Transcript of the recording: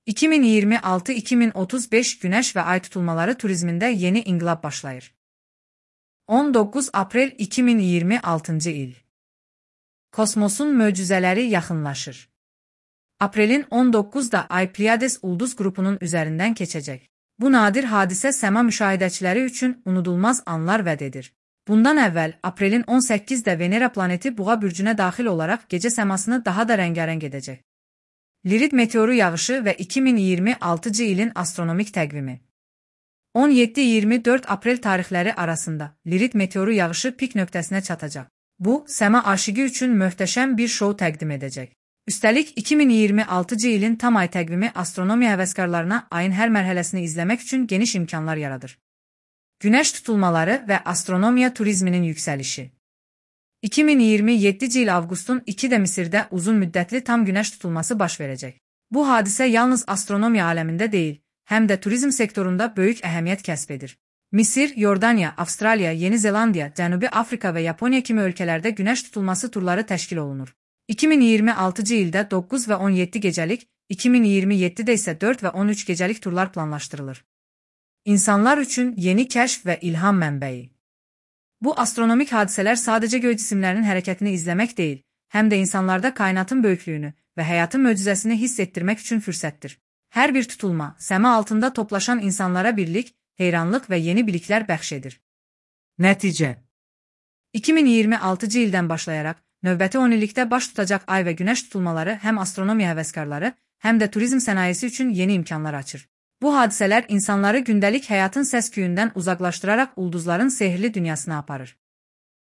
2026-2035 Güneş ve Ay tutulmaları turizminde yeni inqilab başlayır. 19 Aprel 2026 il. Kosmosun möcüzələri yaxınlaşır. Aprelin 19'da Ay Pleiades ulduz qrupunun üzərindən keçəcək. Bu nadir hadisə səma müşahidəçiləri üçün unudulmaz anlar vəd edir. Bundan əvvəl, aprelin 18'də Venera planeti Buğa bürcünə daxil olaraq gecə səmasını daha da rəngarəng edəcək. Lirid meteoru yağışı və 2026 ilin astronomik təqvimi. 17-24 Aprel tarixləri arasında Lirid meteoru yağışı pik nöqtəsinə çatacaq. Bu, səma aşiqi üçün möhtəşəm bir şou təqdim edəcək. Üstəlik, 2026 ilin tam ay təqvimi astronomiya həvəskarlarına ayın hər mərhələsini izləmək üçün geniş imkanlar yaradır. Günəş tutulmaları və astronomiya turizminin yüksəlişi. 2027 il avqustun 2'də Misirdə uzun müddətli tam günəş tutulması baş verəcək. Bu hadisə yalnız astronomiya aləmində deyil, həm də turizm sektorunda böyük əhəmiyyət kəsb edir. Misir, Yordaniya, Avstraliya, Yeni Zelandiya, Cənubi Afrika və Yaponiya kimi ölkələrdə günəş tutulması turları təşkil olunur. 2026 ildə 9 və 17 gecəlik, 2027-də isə 4 və 13 gecəlik turlar planlaşdırılır. İnsanlar üçün yeni kəşf və ilham mənbəyi. Bu astronomik hadisələr sadəcə göy cisimlərinin hərəkətini izləmək deyil, həm də insanlarda kainatın böyüklüyünü və həyatın möcüzəsini hiss etdirmək üçün fürsətdir. Hər bir tutulma, səma altında toplaşan insanlara birlik, heyranlıq və yeni biliklər bəxş edir. Nəticə 2026 ildən başlayaraq, növbəti 10 illikdə baş tutacaq ay və günəş tutulmaları həm astronomiya həvəskarları, həm də turizm sənayesi üçün yeni imkanlar açır. Bu hadisələr insanları gündəlik həyatın səs-küyündən uzaqlaşdıraraq ulduzların sehirli dünyasına aparır.